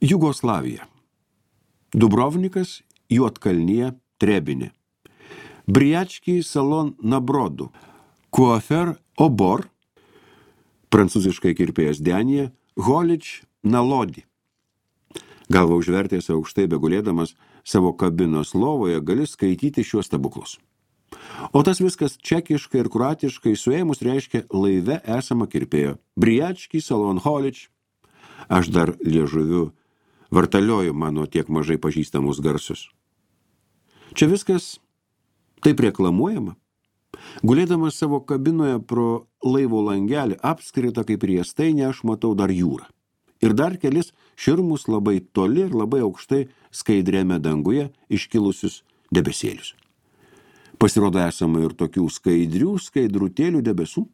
Jugoslavija. Dubrovnikas, Juodkalnija, Trebinė. Briački salon na Brodu. Coiffeur Obor, prancūziškai kirpėjas Denija, Holič na Lodi. Galva užvertęs aukštai begulėdamas savo kabinos lovoje gali skaityti šiuos stebuklus. O tas viskas čekiškai ir kroatiškai suėmus reiškia laive esama kirpėjo. Briački salon Holič. Aš dar liežuviu vartalioju mano tiek mažai pažįstamus garsus. Čia viskas taip reklamuojama. Gulėdamas savo kabinoje pro laivo langelį apskrita kaip riestainė, aš matau dar jūrą. Ir dar kelis širmus labai toli ir labai aukštai skaidriame danguje iškilusius debesėlius. Pasirodo esama ir tokių skaidrutėlių debesų.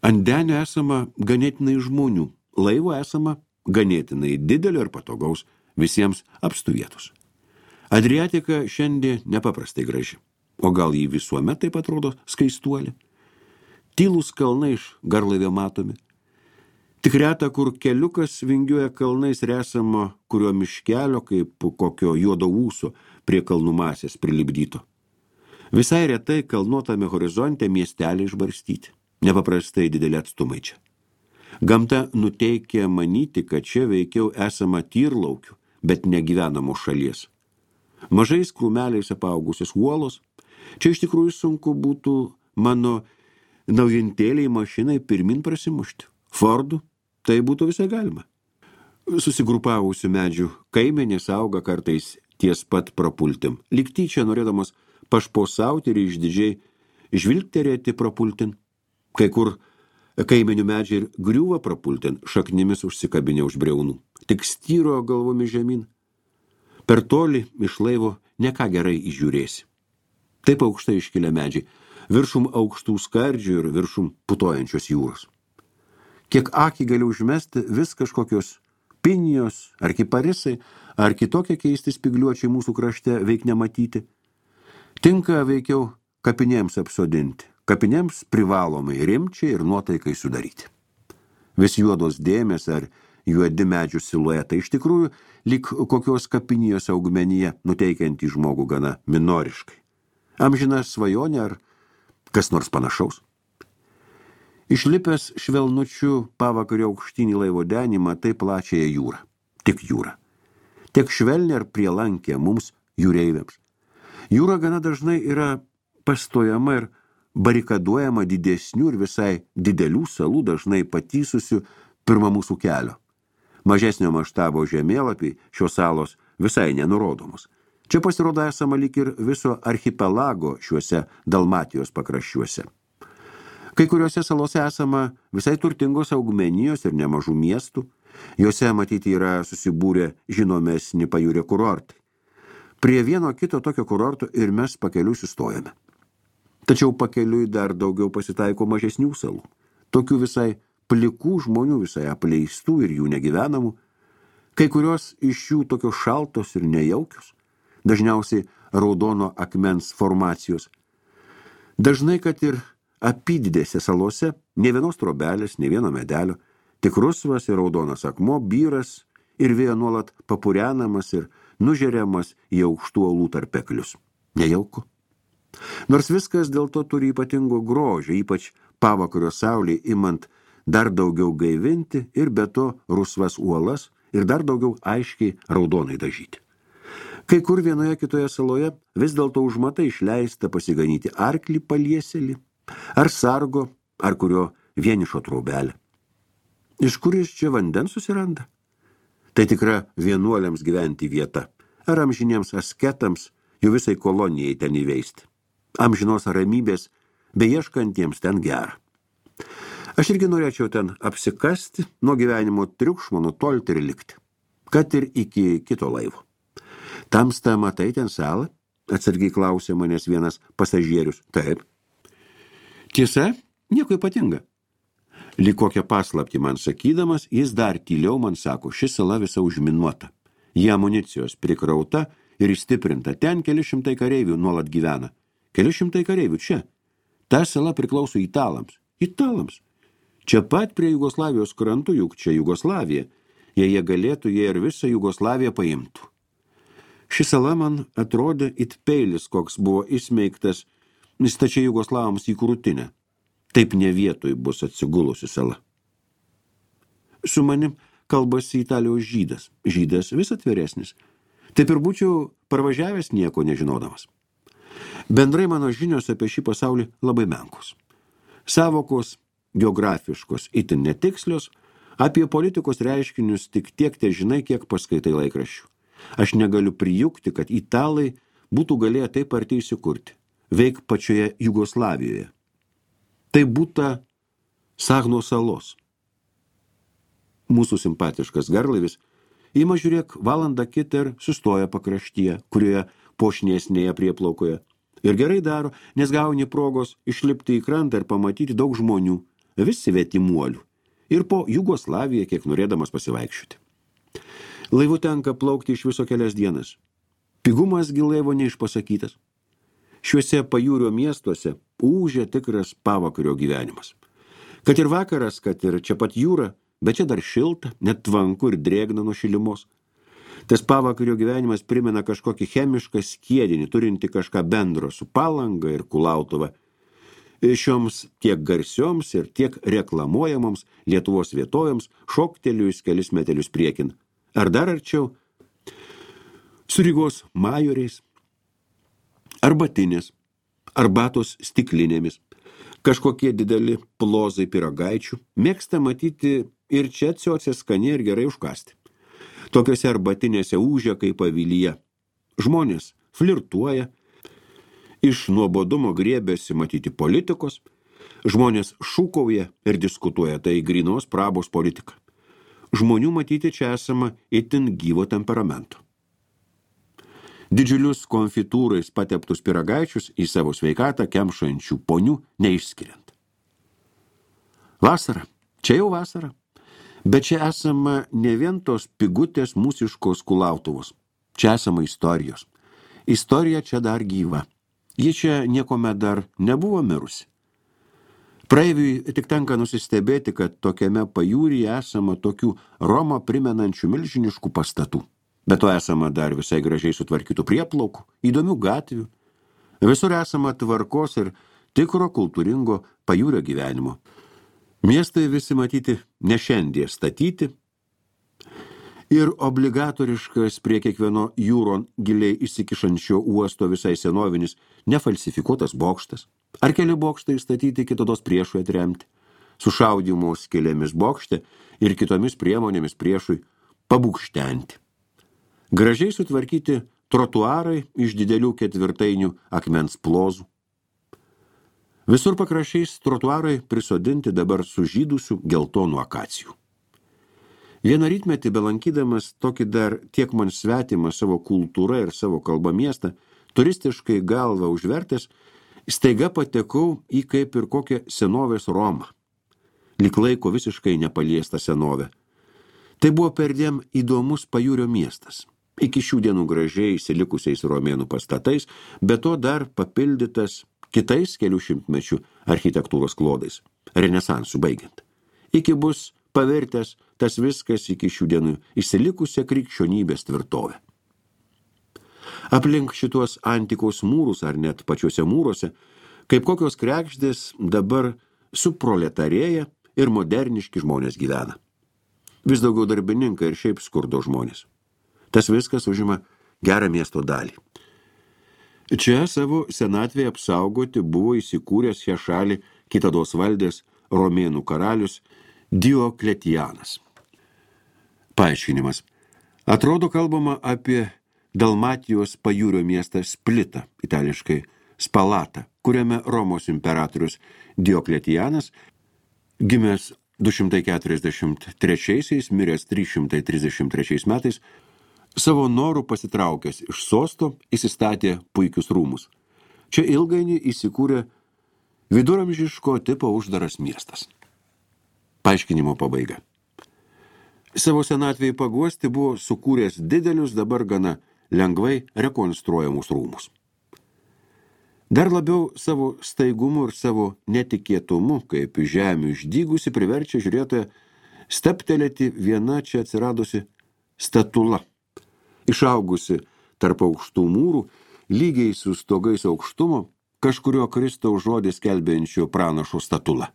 Ant denio esama ganėtinai žmonių, laivo esama ganėtinai didelio ir patogaus, visiems apstų vietos. Adriatika šiandien nepaprastai graži, o gal jį visuomet taip atrodo skaistuolė. Tylūs kalnai iš garlaivio matomi. Tik reta, kur keliukas vingiuoja kalnais ir esama kurio miškelio, kaip kokio juodo ūso prie kalnų masės prilipdyto. Visai retai kalnuotame horizonte miesteliai išbarstyti. Nepaprastai dideli atstumai čia. Gamta nuteikia manyti, kad čia veikiau esama tyrlaukių, bet negyvenamos šalies. Mažais krūmeliais apaugusios uolos. Čia iš tikrųjų sunku būtų mano naujintėliai mašinai pirmin prasimušti. Fordų tai būtų visai galima. Susigrupavusių medžių kaimenės auga kartais ties pat prapultim. Lyg tyčia norėdamas pašposauti ir išdidžiai žvilgterėti prapultin. Kai kur kaimenių medžiai ir griūva prapultin, šaknimis užsikabinę už briaunų. Tik styro galvomis žemyn. Per toli iš laivo ne ką gerai įžiūrėsi. Taip aukštai iškilę medžiai, viršum aukštų skardžių ir viršum putojančios jūros. Kiek akį gali užmesti, vis kažkokios pinijos, ar kiparisai, ar kitokie keisti spygliuočiai mūsų krašte veik nematyti. Tinka veikiau kapinėms apsodinti, kapinėms privalomai rimčiai ir nuotaikai sudaryti. Vis juodos dėmės ar juodi medžių siluetai iš tikrųjų lyg kokios kapinijos augmenyje nuteikiantį žmogų gana minoriškai. Amžina svajonė ar kas nors panašaus. Išlipęs švelnučių pavakario aukštinį laivo denį matai plačiąją jūrą. Tik jūrą. Tiek švelnė ar prielankę mums jūreiviams. Jūra gana dažnai yra pastojama ir barikaduojama didesnių ir visai didelių salų, dažnai patysusių pirma mūsų kelio. Mažesnio maštabo žemėlapiai šios salos visai nenurodomos. Čia pasirodo esama lyg ir viso archipelago šiuose Dalmatijos pakraščiuose. Kai kuriuose salose esama visai turtingos augmenijos ir nemažų miestų. Jose matyti yra susibūrę žinomesni pajūrio kurortai. Prie vieno kito tokio kurorto ir mes pakeliui sustojame. Tačiau pakeliui dar daugiau pasitaiko mažesnių salų. Tokių visai plikų žmonių, visai apleistų ir jų negyvenamų. Kai kurios iš jų tokios šaltos ir nejaukios. Dažniausiai raudono akmens formacijos. Dažnai, kad ir apydidėse salose, ne vienos trobelės, ne vieno medelio, tik rusvas ir raudonas akmuo, byras ir vėjo nuolat papurenamas ir nužeriamas į aukštų uolų tarpeklius. Nejauku. Nors viskas dėl to turi ypatingo grožio, ypač pavakario saulei imant dar daugiau gaivinti ir be to rusvas uolas ir dar daugiau aiškiai raudonai dažyti. Kai kur vienoje kitoje saloje vis dėlto užmatai išleista pasiganyti arklį palieselį, ar sargo, ar kurio vienišo traubelę. Iš kur jis čia vandens susiranda? Tai tikra vienuoliams gyventi vieta, ar amžiniems asketams, jų visai kolonijai ten įveisti. Amžinos ramybės, beieškantiems ten gera. Aš irgi norėčiau ten apsikasti, nuo gyvenimo triukšmo nutolti ir likti, kad ir iki kito laivo. Tamsta matai ten salą? Atsargiai klausė manęs vienas pasažierius. Taip. Tiesa, nieko ypatinga. Lyg kokią paslaptį man sakydamas, jis dar tyliau man sako, ši sala visa užminuota. Jie amunicijos prikrauta ir įstiprinta. Ten keli šimtai kareivių nuolat gyvena. Keli šimtai kareivių čia. Ta sala priklauso italams. Italams. Čia pat prie Jugoslavijos krantų, juk čia Jugoslavija. Jei jie galėtų, jie ir visą Jugoslaviją paimtų. Ši sala man atrodė it peilis, koks buvo įsmeigtas stačiai Jugoslavams į krūtinę. Taip ne vietoj bus atsigulusi sala. Su manim kalbasi Italijos žydas. Žydas vis atviresnis. Taip ir būčiau parvažiavęs nieko nežinodamas. Bendrai mano žinios apie šį pasaulį labai menkos. Savokos geografiškos, itin netikslios, apie politikos reiškinius tik tiek te žinai, kiek paskaitai laikraščių. Aš negaliu prijukti, kad italai būtų galėję taip arti įsikurti, veik pačioje Jugoslavijoje. Tai būta Sagno salos. Mūsų simpatiškas garlaivis ima žiūrėk valandą kitą ir sustoja pakraštyje, kurioje pošniesnėje prieplaukoje. Ir gerai daro, nes gauni progos išlipti į krantą ir pamatyti daug žmonių, visi svetimuolių, ir po Jugoslaviją kiek norėdamas pasivaikščioti. Laivu tenka plaukti iš viso kelias dienas. Pigumas gi laivo neišpasakytas. Šiuose pajūrio miestuose ūžia tikras pavakario gyvenimas. Kad ir vakaras, kad ir čia pat jūra, bet čia dar šilta, net tvanku ir drėgna nuo šilimos. Tas pavakario gyvenimas primena kažkokį chemišką skiedinį, turinti kažką bendro su Palanga ir Kulautuva. Šioms tiek garsioms ir tiek reklamuojamoms Lietuvos vietovėms šoktelius kelis metelius priekin. Ar dar arčiau su Rygos majoriais, arbatinės, arbatos stiklinėmis, kažkokie dideli plozai pyragaičių, mėgsta matyti ir čia ciocė skaniai ir gerai užkasti. Tokiose arbatinėse ūžia kaip avilyje. Žmonės flirtuoja, iš nuobodumo griebėsi matyti politikos, žmonės šūkauja ir diskutuoja, tai grynos prabos politika. Žmonių matyti čia esama itin gyvo temperamento. Didžiulius konfitūrais pateptus pyragaičius į savo sveikatą kemšančių ponių neišskiriant. Vasara, čia jau vasara. Bet čia esama ne vien tos pigutės mūsiškos Kulautuvos. Čia esama istorijos. Istorija čia dar gyva. Ji čia niekuomet dar nebuvo mirusi. Praeiviui tik tenka nusistebėti, kad tokiame pajūryje esama tokių Romą primenančių milžiniškų pastatų. Bet to esama dar visai gražiai sutvarkytų prieplaukų, įdomių gatvių. Visur esama tvarkos ir tikro kultūringo pajūrio gyvenimo. Miestai visi matyti ne šiandien statyti ir obligatoriškas prie kiekvieno jūron giliai įsikišančio uosto visai senovinis nefalsifikuotas bokštas. Ar keli bokštai statyti kitados priešui atremti, sušaudymo skylėmis bokšte ir kitomis priemonėmis priešui pabūkštenti. Gražiai sutvarkyti trotuarai iš didelių ketvirtainių akmens plozų. Visur pakraščiais trotuarai prisodinti dabar sužydusių geltonų akacijų. Vieną rytmetį belankydamas tokį dar tiek man svetimą savo kultūrą ir savo kalbą miestą, turistiškai galvą užvertęs, staiga patekau į kaip ir kokią senovės Romą. Lyg laiko visiškai nepaliesta senovė. Tai buvo perdėm įdomus pajūrio miestas. Iki šių dienų gražiai įsilikusiais romėnų pastatais, bet to dar papildytas kitais kelių šimtmečių architektūros klodais, renesansų baigiant. Iki bus pavertęs tas viskas iki šių dienų įsilikusią krikščionybės tvirtovę. Aplink šitos antikos mūrus ar net pačiuose mūruose, kaip kokios krekždės dabar suproletarėja ir moderniški žmonės gyvena. Vis daugiau darbininkai ir šiaip skurdo žmonės. Tas viskas užima gerą miesto dalį. Čia savo senatvėje apsaugoti buvo įsikūręs šią šalį kitados valdės romėnų karalius Diokletianas. Paaiškinimas. Atrodo kalbama apie Dalmatijos pajūrio miestą Splitą, itališkai Spalatą, kuriame Romos imperatorius Diokletianas, gimęs 243, miręs 333 metais, savo norų pasitraukęs iš sosto įsistatė puikius rūmus. Čia ilgainiui įsikūrė viduramžiško tipo uždaras miestas. Paaiškinimo pabaiga. Savo senatvėje paguosti buvo sukūręs didelius dabar gana lengvai rekonstruojamus rūmus. Dar labiau savo staigumu ir savo netikėtumu, kaip žemių išdygusi, priverčia žiūrėtoją steptelėti viena čia atsiradusi statula, išaugusi tarp aukštų mūrų, lygiai su stogais aukštumo, kažkurio Kristaus žodį skelbiančio pranašo statula.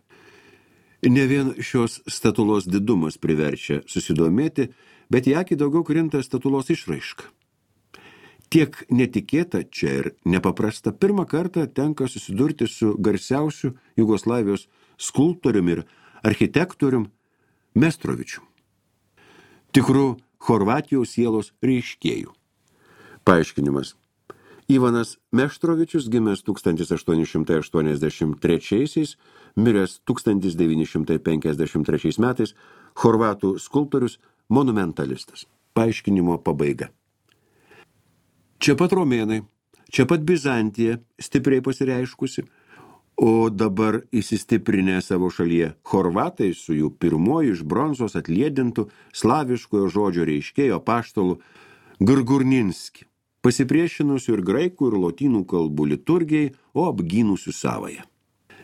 Ne vien šios statulos didumas priverčia susidomėti, bet į akį daugiau krinta statulos išraiška. Tiek netikėta čia ir nepaprasta, pirmą kartą tenka susidurti su garsiausiu Jugoslavijos skulptoriumi ir architektorium Mestrovičium, tikru Chorvatijos sielos reiškėjų. Paaiškinimas. Ivanas Meštrovičius, gimęs 1883, miręs 1953 metais, chorvatų skulptorius, monumentalistas. Paaiškinimo pabaiga. Čia pat romėnai, čia pat Bizantija stipriai pasireiškusi, o dabar įsistiprinę savo šalyje chorvatai su jų pirmoju iš bronzos atliedintų slaviškojo žodžio reiškėjo apaštalu Grgurninski, pasipriešinusių ir graikų ir lotynų kalbų liturgijai, o apgynusių savąją.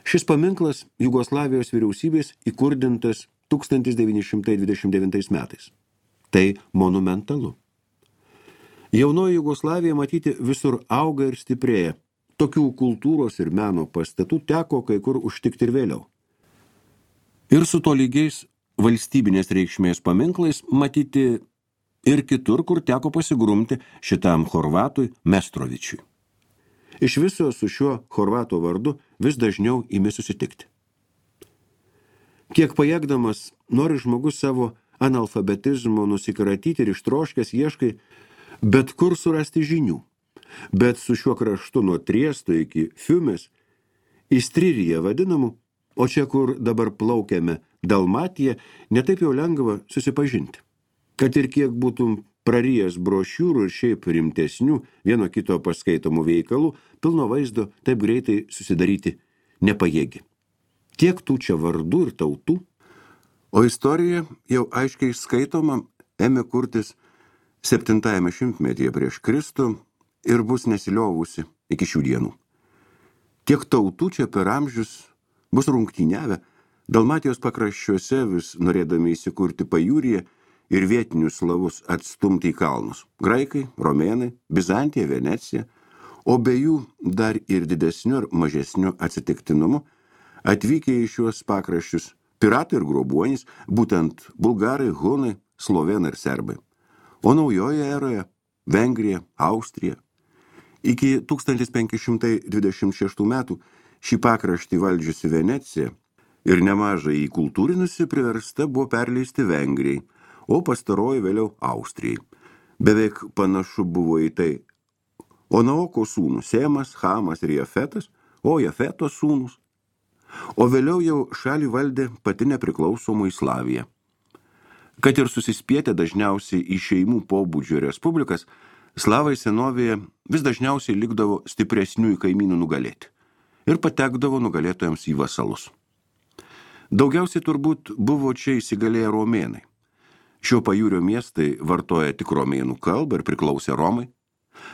Šis paminklas Jugoslavijos vyriausybės įkurdintas 1929 metais. Tai monumentalu. Jaunoji Jugoslavija matyti visur auga ir stiprėja. Tokių kultūros ir meno pastatų teko kai kur užtikti ir vėliau. Ir su tolygiais valstybinės reikšmės paminklais matyti ir kitur, kur teko pasigrumti šitam chorvatui Mestrovičiui. Iš viso su šiuo chorvato vardu vis dažniau imi susitikti. Kiek pajėgdamas, nori žmogus savo analfabetizmo nusikratyti ir ištroškęs ieškai bet kur surasti žinių. Bet su šiuo kraštu nuo Triesto iki Fiumės, Istriryje vadinamų, o čia, kur dabar plaukiame Dalmatija, netaip jau lengva susipažinti. Kad ir kiek būtum prarijęs brošiūrų ir šiaip rimtesnių vieno kito paskaitomų veikalų, pilno vaizdo taip greitai susidaryti nepajėgi. Tiek tų čia vardų ir tautų, o istorija jau aiškiai skaitoma ėmė kurtis 7 šimtmetyje prieš Kristų ir bus nesiliovusi iki šių dienų. Tiek tautų čia per amžius bus rungtyniavę, Dalmatijos pakraščiuose vis norėdami įsikurti pajūryje ir vietinius slavus atstumti į kalnus. Graikai, romėnai, Bizantija, Venecija, o be jų dar ir didesniu ir mažesniu atsitiktinumu atvykę į šiuos pakraščius piratai ir grobuonys, būtent bulgarai, hunai, slovėnai ir serbai. O naujoje eroje Vengrija, Austrija. Iki 1526 metų šį pakraštį valdžiusi Venecija ir nemažai įkultūrinusi priversta buvo perleisti Vengrijai, o pastaroji vėliau Austrijai. Beveik panašu buvo į tai Onaoko sūnus Semas, Hamas ir Jafetas, o Jafeto sūnus. O vėliau jau šalį valdė pati nepriklausomoji Slavija. Kad ir susispietę dažniausiai į šeimų pobūdžio respublikas, slavai senovėje vis dažniausiai likdavo stipresnių kaimynų nugalėti ir patekdavo nugalėtojams į vasalus. Daugiausiai turbūt buvo čia įsigalėję romėnai. Šio pajūrio miestai vartoja tik romėnų kalbą ir priklausė Romai.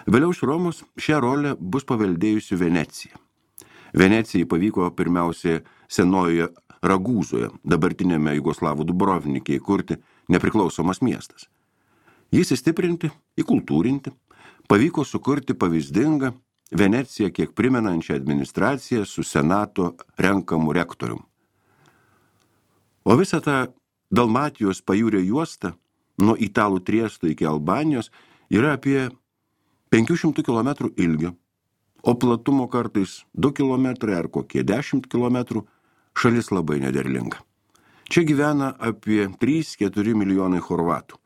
Vėliau iš Romos šią rolę bus paveldėjusi Venecija. Venecijai pavyko pirmiausiai senojoje Ragūzoje, dabartinėme Jugoslavų Dubrovnike įkurti nepriklausomas miestas. Jis įstiprinti, įkultūrinti, pavyko sukurti pavyzdingą Veneciją kiek primenančią administraciją su senato renkamu rektorium. O visą tą Dalmatijos pajūrio juostą nuo Italų Triesto iki Albanijos yra apie 500 km ilgio, o platumo kartais 2 km ar kokie 10 km, šalis labai nederlinga. Čia gyvena apie 3-4 milijonai chorvatų.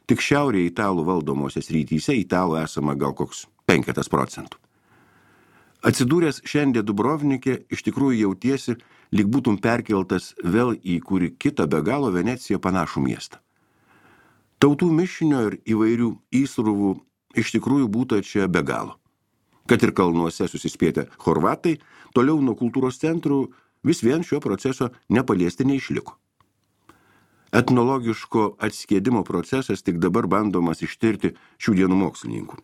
Tik šiaurėje italų valdomosios rytyse italų esama gal koks 5%. Atsidūręs šiandien Dubrovnike, iš tikrųjų jautiesi, lyg būtum perkeltas vėl į kurį kitą be galo Veneciją panašų miestą. Tautų mišinio ir įvairių įsruvų iš tikrųjų būta čia be galo. Kad ir kalnuose susispietę chorvatai, toliau nuo kultūros centrų vis vien šio proceso nepaliesti neišliko. Etnologiško atskiedimo procesas tik dabar bandomas ištirti šių dienų mokslininkų.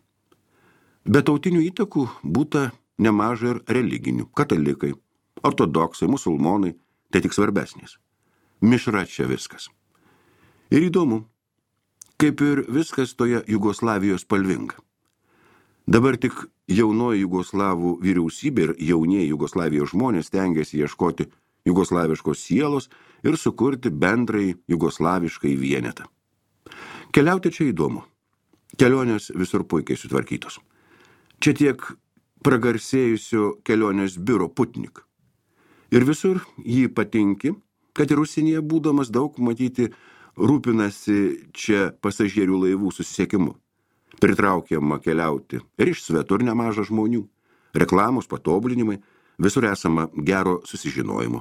Be tautinių įtakų būta nemažai ir religinių, katalikai, ortodoksai, musulmonai, tai tik svarbesnės. Mišra čia viskas. Ir įdomu, kaip ir viskas toje Jugoslavijos spalvinga. Dabar tik jaunoji jugoslavų vyriausybė ir jaunieji Jugoslavijos žmonės stengiasi ieškoti jugoslaviškos sielos ir sukurti bendrai jugoslaviškai vienetą. Keliauti čia įdomu. Kelionės visur puikiai sutvarkytos. Čia tiek pragarsėjusio kelionės biuro Putnik. Ir visur jį patinki, kad ir užsienyje būdamas daug matyti rūpinasi čia pasažierių laivų susisiekimu. Pritraukiama keliauti ir iš svetur nemaža žmonių, reklamos, patobulinimai, visur esama gero susižinojimo.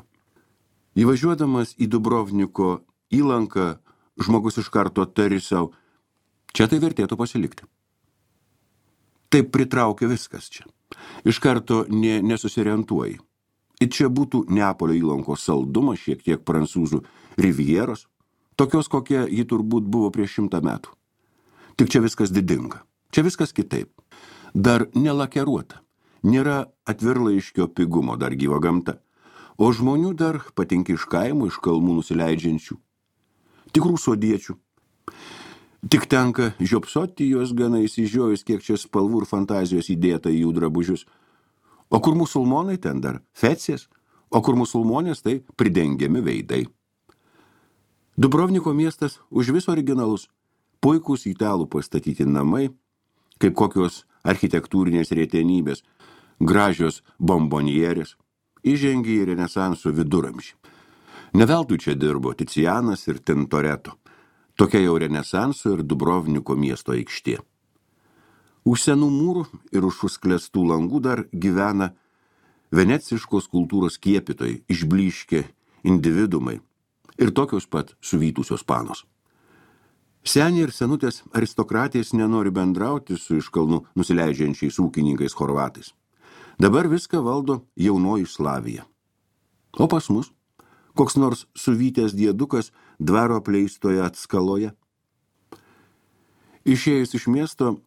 Įvažiuodamas į Dubrovniko įlanką, žmogus iš karto tari sau, čia tai vertėtų pasilikti. Taip pritraukia viskas čia. Iš karto nesusiorientuoji. Ir čia būtų Neapolio įlankos saldumas, šiek tiek prancūzų rivieros, tokios kokia ji turbūt buvo prieš 100 metų. Tik čia viskas didinga, čia viskas kitaip. Dar nelakeruota, nėra atvirlaiškio pigumo, dar gyva gamta, o žmonių dar patinka iš kaimo, iš kalmų nusileidžiančių, tikrų sodiečių. Tik tenka žiopsoti juos gana įsižiojus, kiek čia spalvų ir fantazijos įdėta į jų drabužius. O kur musulmonai, ten dar fecės, o kur musulmonės, tai pridengiami veidai. Dubrovniko miestas už vis originalus. Puikūs italų pastatyti namai, kaip kokios architektūrinės retenybės, gražios bombonierės, įžengė į renesanso viduramžį. Neveltui čia dirbo Ticianas ir Tintoreto, tokia jau renesanso ir Dubrovniko miesto aikštė. Už senų mūrų ir už užsklęstų langų dar gyvena veneciškos kultūros kiepytojai, išblyškę individumai ir tokios pat suvytusios panos. Seniai ir senutės aristokratės nenori bendrauti su iš kalnų nusileidžiančiais ūkininkais chorvatais. Dabar viską valdo jaunoji Slavija. O pas mus, koks nors suvytęs diedukas dvaro apleistoje atskaloje. Išėjus iš miesto,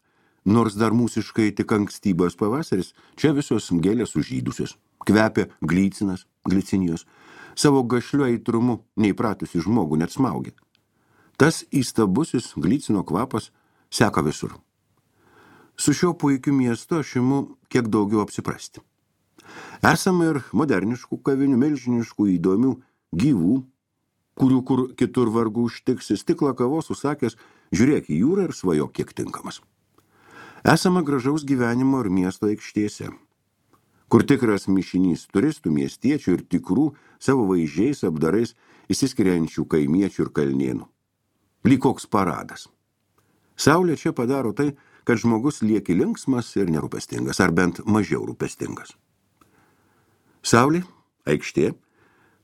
nors dar mūsiškai tik ankstybos pavasaris, čia visos gėlės sužydusios, kvepia glicinijos, savo gašliu aitrumu neįpratusi žmogų net smaugia. Tas įstabusis glicino kvapas seka visur. Su šiuo puikiu miestu aš imu kiek daugiau apsiprasti. Esame ir moderniškų kavinių, milžiniškų, įdomių, gyvų, kurių kur kitur vargu užtiksi, stiklą kavos užsakęs, žiūrėk į jūrą ir svajok kiek tinkamas. Esame gražaus gyvenimo ir miesto aikštėse, kur tikras mišinys turistų, miestiečių ir tikrų savo vaizdžiais apdarais įsiskiriančių kaimiečių ir kalnėnų. Lyg koks paradas. Saulė čia padaro tai, kad žmogus lieki linksmas ir nerūpestingas, ar bent mažiau rūpestingas. Saulė, aikštė,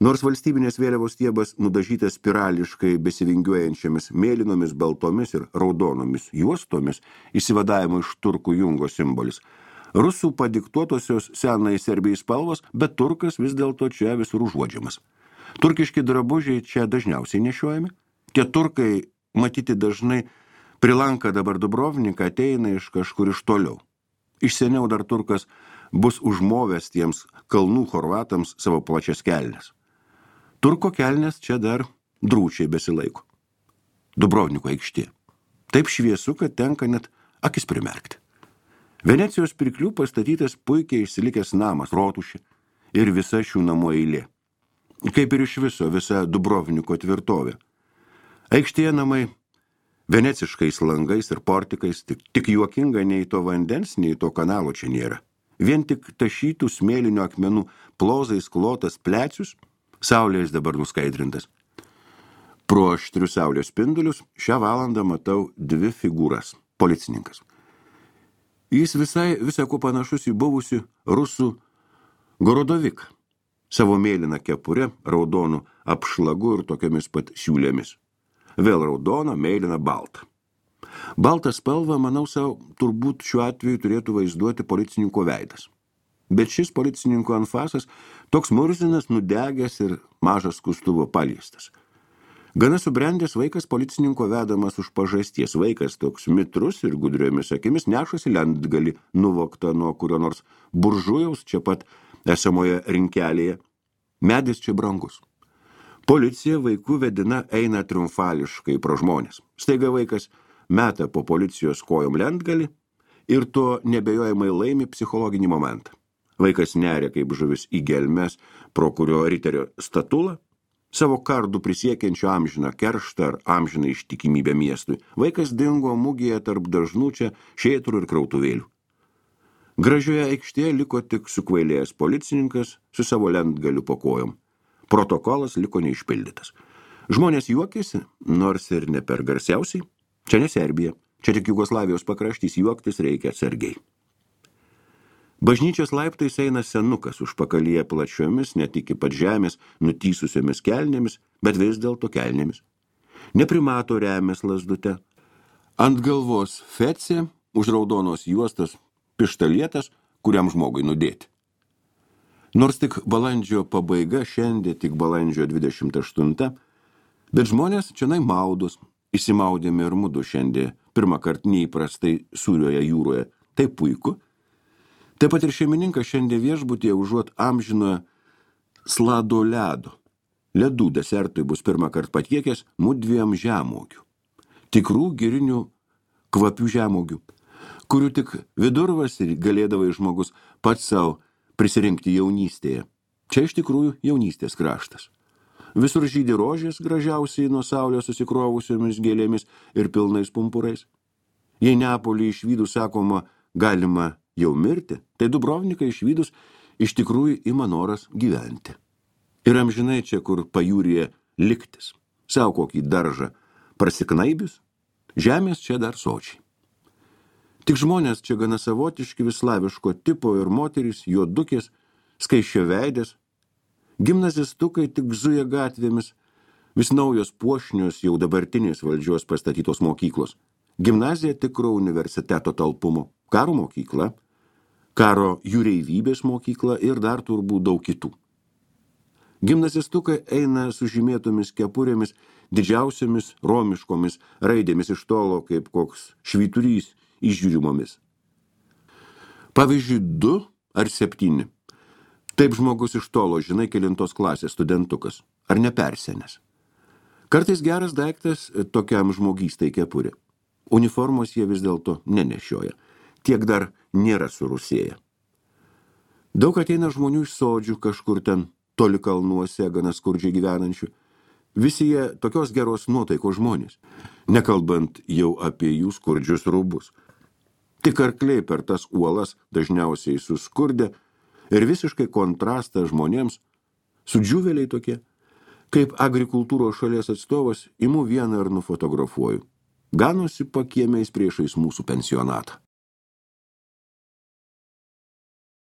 nors valstybinės vėliavos stiebas nudažytas spirališkai besivingiuojančiamis mėlynomis, baltomis ir raudonomis juostomis, įsivadavimo iš turkų jungo simbolis, rusų padiktuotosios senai Serbijai spalvos, bet turkas vis dėlto čia visur užuodžiamas. Turkiški drabužiai čia dažniausiai nešiojami. Tie turkai, matyti dažnai, prilanka dabar Dubrovniką, ateina iš kažkur iš toliau. Iš seniau dar turkas bus užmovęs tiems kalnų chorvatams savo plačias kelnes. Turko kelnes čia dar drūčiai besilaiko. Dubrovniko aikštė. Taip šviesu, kad tenka net akis primerkti. Venecijos pirklių pastatytas puikiai išsilikęs namas, rotušė ir visa šių namų eilė. Kaip ir iš viso visa Dubrovniko tvirtovė. Aikštėje namai veneciškais langais ir portikais, tik juokinga nei to vandens, nei to kanalo čia nėra. Vien tik tašytų smėlinio akmenų plozais klotas plecius, saulės dabar nuskaidrintas. Pro aštrius saulės spindulius šią valandą matau 2 figūras – policininkas. Jis visai ko panašus į buvusių rusų Gorodoviką, savo mėlyną kepurę, raudonų apšlagu ir tokiamis pat siūlėmis. Vėl raudona, mėlyna, balta. Baltą spalvą, manau, savo turbūt šiuo atveju turėtų vaizduoti policininko veidas. Bet šis policininko anfasas toks murzinas, nudegęs ir mažas skustuvo paliestas. Gana subrendęs vaikas policininko vedamas už pažasties. Vaikas toks mitrus ir gudriomis akimis nešasi lentgalį nuvoktą nuo kurio nors buržujaus čia pat esamoje rinkelėje. Medis čia brangus. Policija vaikų vedina eina triumfališkai pro žmonės. Staiga vaikas meta po policijos kojom lentgalį ir tuo nebejojamai laimi psichologinį momentą. Vaikas neria kaip žuvis į gelmes, pro kurio riterio statulą, savo kardų prisiekiančio amžiną kerštą ar amžiną ištikimybę miestui. Vaikas dingo mugėje tarp dažnų čia šėtrų ir krautuvėlių. Gražioje aikštėje liko tik sukvailėjęs policininkas su savo lentgaliu po kojom. Protokolas liko neišpildytas. Žmonės juokėsi, nors ir ne per garsiausiai. Čia ne Serbija, čia tik Jugoslavijos pakraštys, juoktis reikia atsargiai. Bažnyčios laiptais eina senukas užpakalyje plačiomis, net iki pat žemės, nutysusiomis kelnėmis, bet vis dėlto kelnėmis. Neprimato remės lazdute. Ant galvos fecė, už raudonos juostos pištalietas, kuriam žmogui nudėti. Nors tik balandžio pabaiga, šiandien tik balandžio 28, bet žmonės čianai maudos, įsimaudėme ir mudu šiandien pirmą kartą neįprastai sūrioje jūroje. Tai puiku. Taip pat ir šeimininkas šiandien viešbutyje užuot amžinoje slado ledo. Ledų desertui bus pirmą kartą patiekęs mudviem žemuogių. Tikrų girinių kvapių žemuogių, kurių tik vidurvasarį galėdavai žmogus pats savo prisirinkti jaunystėje. Čia iš tikrųjų jaunystės kraštas. Visur žydi rožės gražiausiai nuo saulės susikrovusiomis gėlėmis ir pilnais pumpurais. Jei Neapolį išvydus sakoma, galima jau mirti, tai Dubrovniką išvydus iš tikrųjų ima noras gyventi. Ir amžinai čia, kur pajūryje liktis, savo kokį daržą prasiknaibius, žemės čia dar sočiai. Tik žmonės čia gana savotiški vislaviško tipo ir moterys, juodukės, skaisčio veidės, gimnazistukai tik zuja gatvėmis, vis naujos puošnios jau dabartinės valdžios pastatytos mokyklos. Gimnazija tikro universiteto talpumo, karo mokykla, karo jūreivybės mokykla ir dar turbūt daug kitų. Gimnazistukai eina su žymėtomis kepurėmis, didžiausiamis romiškomis raidėmis iš tolo, kaip koks švyturys išžiūrimomis. Pavyzdžiui, 2 ar 7. Taip žmogus iš tolo, žinai, kelintos klasės studentukas, ar nepersenęs. Kartais geras daiktas tokiam žmogystai kepurė. Uniformos jie vis dėlto nenešioja. Tiek dar nėra surusėję. Daug ateina žmonių iš sodžių, kažkur ten toli kalnuose, gana skurdžiai gyvenančių. Visi jie tokios geros nuotaikos žmonės, nekalbant jau apie jų skurdžius rūbus. Tik arkliai per tas uolas dažniausiai suskurdę ir visiškai kontrastą žmonėms, sudžiūvėliai tokie, kaip agrikultūros šalies atstovas imu vieną ir nufotografuoju. Ganosi pakiemiais priešais mūsų pensionatą.